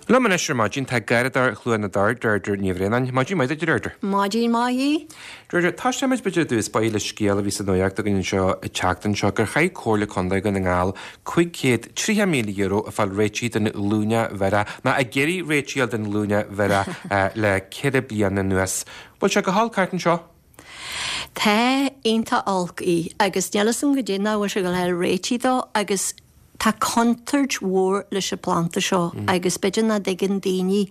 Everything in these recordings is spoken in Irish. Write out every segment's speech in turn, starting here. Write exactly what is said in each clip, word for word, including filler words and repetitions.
Liom anois ar maidin tá Garradóir Chluain na dTor, Deirdre Ní Bhraonáin. Maidin mhaith duit, Deirdre. Maidin mhaith. Deirdre, tá sé b'fhéidir dús ba le scéal a bhí sa nuacht againn anseo an tseachtain seo gur chaith Comhairle Contae Dhún na nGall cúig chéad tríocha míle euro ag fáil réitigh den ghlúine bhiorach, ná ag iarraidh réitigh den ghlúine bhiorach le ceithre bliana anuas. Bhfuil sé go holc thart anseo? Tá iontach olc í agus níl a fhios agam goidé nach bhfuil sé go léir réitigh dó agus tá contúirt mhór leis an planda seo mm. agus b'fhéidir nach dtuigeann daoine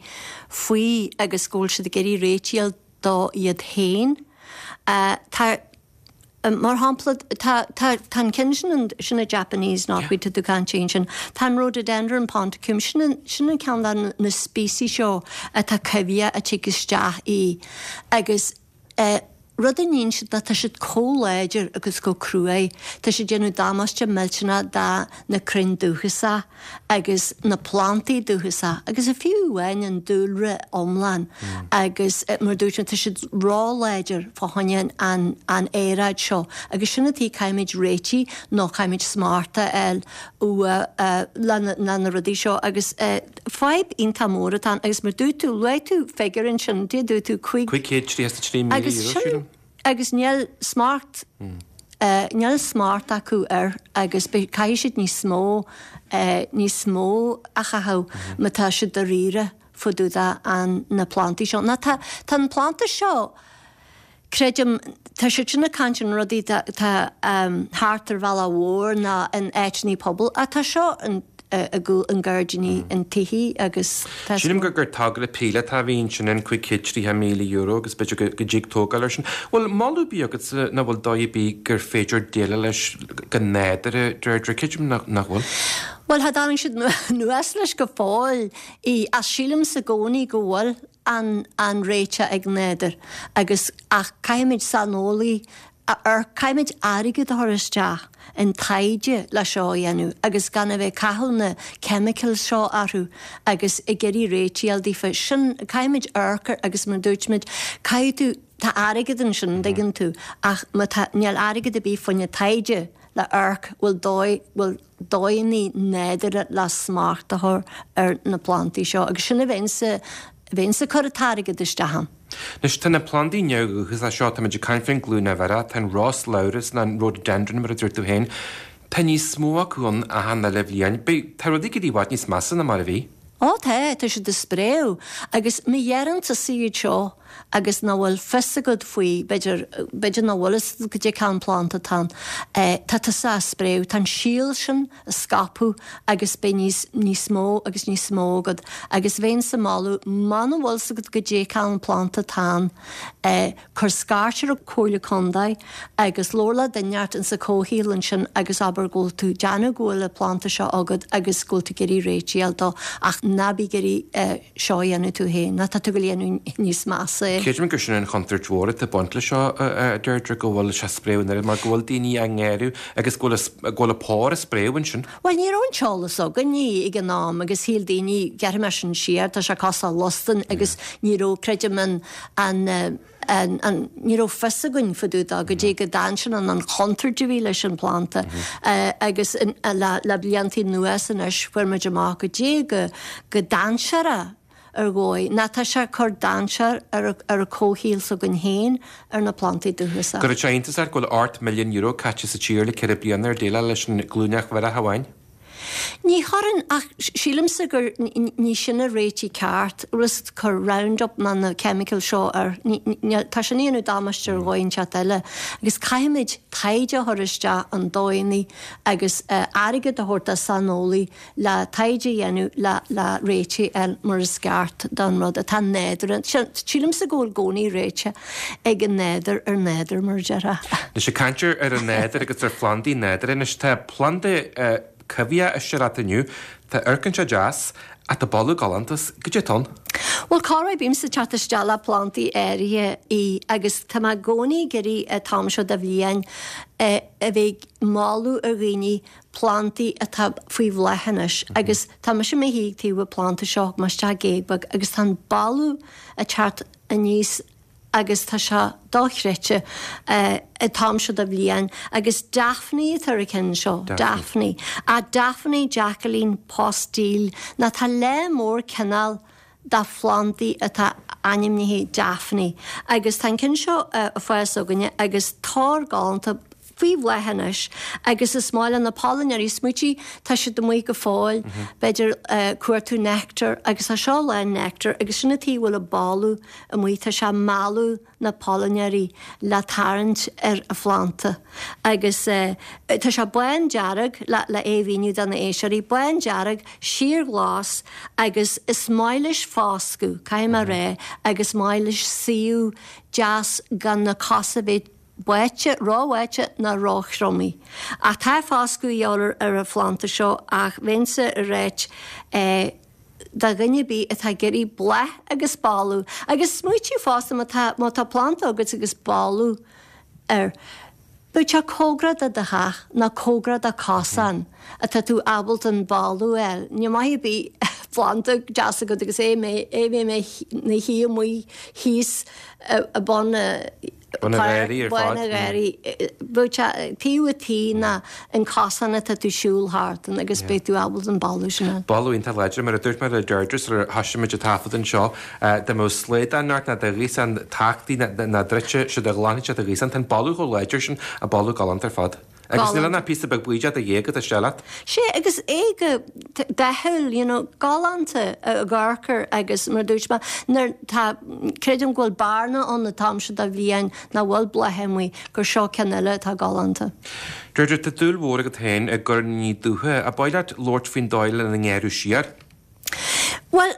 faoi agus go bhfuil siad ag iarraidh réitigh dó iad féin. Uh, tá mar shampla tá tá an ceann sin sin a Japanese knotweed yeah. tú caint sin Tá an rhododendron ponticum sin sin an ceann na species seo atá coimhthíoch a tig isteach í agus uh, Rud a níonn siad tá siad chomh láidir agus chomh cruaidh, Tá siad déanamh damáiste millteanach dá na crainn dúchasach agus na plantaí dúchasach agus a fiú amháin an dúlra iomlán mm. agus eh, mar dúirt tá siad róláidir fá choinne an an aeráid seo agus sin atá caithfimid réitigh nó caithfimid smacht a fháil uh, le na na rudaí seo agus uh, fadhb iontach mór atá agus mar dúirt tú luaigh tú figiúr ansin dé dúirt tú chuig trí agus sin agus níl smacht mm. uh, níl smacht acu air agus caithfidh siad níos mó uh, níos mó a chaitheamh mm. má tá siad dáiríre fá dtaobh an na plantaí seo. Na tá tá an planta seo creidim tá siad sin ag caint an rudaí tá um, thart ar bhealach mhór ná in áiteanna pobail a tá seo an a gúil an gairdíní an tithe agus Sílim gur gur togra píolótach a bhí sin an cúig chéad tríocha míle euro agus b'fhéidir go dtig tógáil ar sin. Bhfuil moladh bí agat na bhfuil dóigh bí gur féidir déileáil leis go nádúrtha Deirdre creidim nach bhfuil? Well cha dtáinig siad anuas leis go fóill í as sílim sa gcónaí go bhfuil an an réiteach ag nádúr agus ach caithfimid saineolaí ar caithfimid airgead a chur isteach in taighde le seo a dhéanamh agus gan a bheith caitheamh na chemicals seo orthu agus ag iarraidh réitigh daofa sin caithfimid amharc agus mar dúirt caithfidh tú tá airgead ansin dtuigeann tú ach má tá níl airgead a bí fá choinne taighde le amharc bhfuil dóigh bhfuil dóigheanna nádúrtha le smacht a chur ar na plantaí seo agus sin a bheinnse bheinnse cur an t-airgead isteach ann. Anois tá na plandaí neamhdhúchasach seo tá muid ag caint faoin glúine bhiorach, tá an roslabhras ná an rhododendron mar a dúirt tú féin. Tá níos mó acu ann achan uile bhliain. Beidh tá rudaí go dtí i bhfad níos measa ná mar a bhí. Ó tá tá siad ag spréadh agus má dheireann tusa iad seo agus nach bhfuil fios agat faoi b'fhéidir b'fhéidir nach bhfuil fhios goidé cén planta atá ann tá tusa á spréadh tá an síol sin ag scaipeadh agus beidh níos níos mó agus níos mó agat agus bheinnse ag moladh muna bhfuil fhios agat goidé cén planta atá ann cuir scairt ar an Comhairle Contae agus labhair le duine inteacht insa comhshaol ansin agus abair go bhfuil tú déanamh go bhfuil an planta seo agat agus go bhfuil tú ag iarraidh réitigh a fháil dó ach ná bí ag iarraidh seo a dhéanamh tú féin ná tá tú go dhéanamh níos measa é. Creidim gur sin an chontúirt mhór atá ag baint leis seo a Deirdre go bhfuil sé spréadh an mar go bhfuil daoine á ngéarú agus go bhfuil a pór ag spréadh ansin. Well ní raibh an t-eolas againn ag an am agus shíl daoine gearrfaidh mé sin siar tá sé cosúil le losdan agus ní raibh creidim an an an, an, ní raibh fios againn fá dtaobh dó goidé go dainséarach an an chontúirt a bhí leis an planta mm -hmm. uh, agus in, uh, le, le blianta anuas anois fuair muid amach goidé go go dainséarach ar dhóigh ná tá sé cur dainséar ar ar a comhshaol s'againn féin ar na plantaí dúchasach. Gur sé iontas go bhfuil ocht milliún euro caite sa tír le ceithre bliana ar déileáil leis an glúineach bhiorach amháin. Ní chuireann ach sílimse gur ní sin an réiteach ceart rus cur Roundup ná na chemical seo ar tá sin ag déanamh damáiste ar dhóigh inteacht eile agus caithfimid taighde a chur isteach an dóigheanna agus uh, airgead a thabhairt do saineolaí le taighde a dhéanamh le le réitigh ar mar is ceart don rud atá nádúr sílimse go bhfuil i gcónaí réiteach ag an nádúr ar nádúr mar deire. Anois ag caint ar an nádúr agus ar phlandaí nádúrtha anois tá planda uh, coimhthíoch istigh leat inniu, tá amharcann sé deas ach tá boladh galánta as, goidé atá ann. Well corruair bímse ag teacht isteach le plantaí áirithe í agus tá mé i gcónaí ag iarraidh an t-am seo de bhliain a bheith ag moladh ar dhaoine plantaí atá faoi bhláth anois agus tá mise i mo shuí taobh an planta seo mar isteach géag beag agus tá an boladh ag teacht aníos agus tá sé dochreidte an t-am seo de bhliain agus Daphne atá ar an ceann seo, Daphne. A Daphne Jacqueline Postill ná tá lear mór cineál de phlandaí atá ainmnithe Daphne agus tá an ceann seo ag fás againne agus tor galánta faoi bhláth anois agus is maith le na pailneoirí smaoitigh tá siad amuigh go fóill b'fhéidir cuartú nectar agus tá seo lán nectar agus sin an tuige a bhfuil an boladh amuigh tá sé ag mealladh na pailneoirí le tarraingt ar an phlanda agus tá sé bándearg le le é mhíniú do na éisteoirí bándearg síorghlas agus is maith leis foscadh caithfidh mé a rá agus maith leis suíomh deas gan na cosa bheith báite, róbháite ná róthriomaithe. Ach tá foscadh a dhíobháil ar an phlanda seo ach bheinnse ag ráit do dhuine ar bith atá ag iarraidh bláth agus boladh agus smaoitiú fosta má tá má tá planda agat agus boladh air, bheadh sé cóngarach do do theach nó cóngarach do cosán atá tú ábalta an boladh a fháil. Ní maith ar bith planda deas agat agus é é bheith mé na shuí amuigh thíos i bun na Bun na gharraí ar fad. Bun na gharraí. Bheadh sé taobh an tí ná an cosán atá tú siúl thart ann agus beidh tú ábalta an boladh sin a. Boladh iontach láidir, mar a dúirt mé le Deirdre sular thoisigh muid ag taifead anseo, dá mbeadh slaghdán ort ná do ghríosán tachtaí ná druidte, siúd a ghlanfaidh sé do ghríosán. Tá an boladh chomh láidir sin, an boladh galánta ar fad. Agus níl ann ach píosa beag buí de do ghéag atá istigh leat. Sea, agus é go dathúil, you know, galánta ag amharc air agus mar a dúirt mé, nuair tá, creidim go bhfuil bearna ann an t-am seo de bhliain nach bhfuil blátha amuigh, gur seo ceann eile atá galánta. Deirdre, tá dúil mhór agat féin i gcoirníní dúiche. Ab áil leat labhairt faoin dóigh lena ngearradh siar? Bhuel,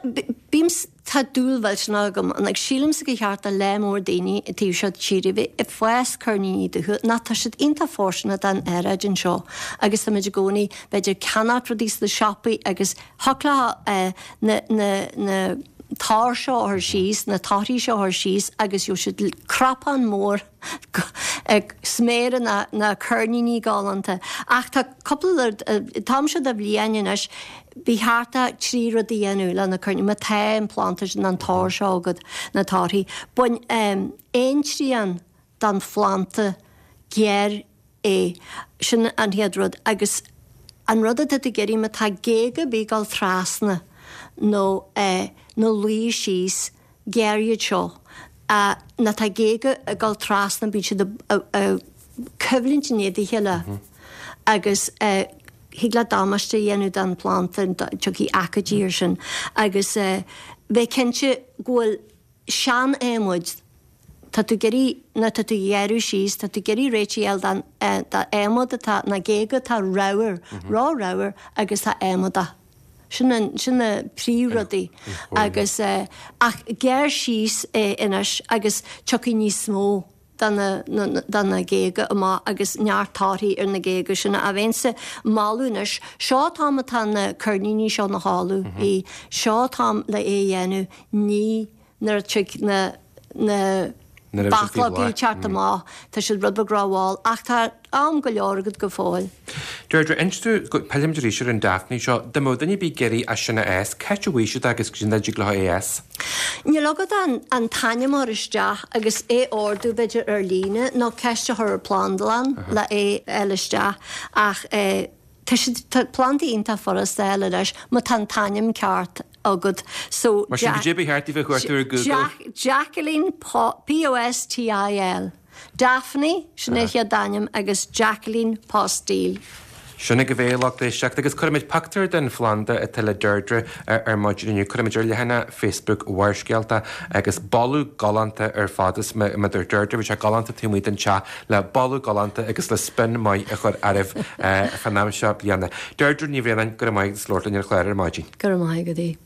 bím, tá dúil mhillteanach agam ann agus sílimse gur cheart do lear mór daoine an taobh seo tíre bheith ag fás coirníní dúiche nó tá siad iontach fóirsteanach don aeráid anseo agus táimid i gcónaí b'fhéidir ag ceannacht rudaí sna siopaí agus thiocfadh leo na, na, na toir seo a chur síos, na torthaí seo a chur síos agus gheobhaidh siad cnapán mór ag sméara na, na coirníní galánta. Ach tá cúpla rud, an t-am seo de bhliain anois, Ba cheart trí rud a dhéanamh le na coirníní, má tá an planda sin, an tor seo agat, na torthaí. Bain aon trian den phlanda, gearr é. Sin an chéad rud. Agus an rud atá tú ag iarraidh, má tá géaga ar bith ag dul trasna nó ina luí síos, gearr iad seo. Má tá géaga ag dul trasna, bíonn siad ag coimhlint in éadan a chéile agus thig leat damáiste a dhéanamh don phlanda, tiocfaidh aicídí air sin agus bheith cinnte go bhfuil sean-adhmaid, tá tú ag iarraidh, nuair atá tú ag gearradh síos, tá tú ag iarraidh réitigh a fháil d'adhmad atá, na géaga atá ramhar, ró-ramhar agus atá adhmadach. Sin an, sin na príomhrudaí agus ach gearr síos é anois agus tiocfaidh níos mó. de na de na géaga amach agus neart torthaí ar na géaga sin a bheinnse ag moladh anois. Seo an t-am atá na coirníní seo ina chodladh í. Seo an t-am le é a dhéanamh ní nuair a tig na na Nuair a bheidh siad faoi bachlógaí bhláth. teacht amach. Tá siad rud beag rómhall ach tá am go leor agat go fóill. Deirdre, inis domh, pillfimid arís ar an Daphne seo, dá mbeadh duine ar bith ag iarraidh é sin a fhás, cá háit a bhfaighidh siad é agus goidé an dóigh a dtig leo é a fhás? Níl agat ach an t-ainm a chur isteach agus é a ordú b'fhéidir ar líne nó ceist a chur ar Plandlann le é a fháil isteach ach tá siad, tá plandaí iontach furasta a fháil anois má tá an t-ainm ceart agat so Mar sin goidé ba cheart daoibh a chuartú ar Google? Jacqueline P O S T I L Daphne, sin an chéad ainm, agus Jacqueline Postill. Sin agaibh é, a lucht éisteachta, agus cuirfimid pictiúr den phlanda atá le Deirdre ar maidin inniu. Cuirfimid ar leathanach Facebook Bharrscéalta agus boladh galánta ar fad is mar a dúirt Deirdre, bhí sé galánta taobh amuigh den teach le boladh galánta agus le spion maith a chur oraibh fán am seo bliana. Deirdre Ní Bhraonáin, go raibh maith agat as labhairt linn ar an chlár ar maidin. Go raibh maith agat.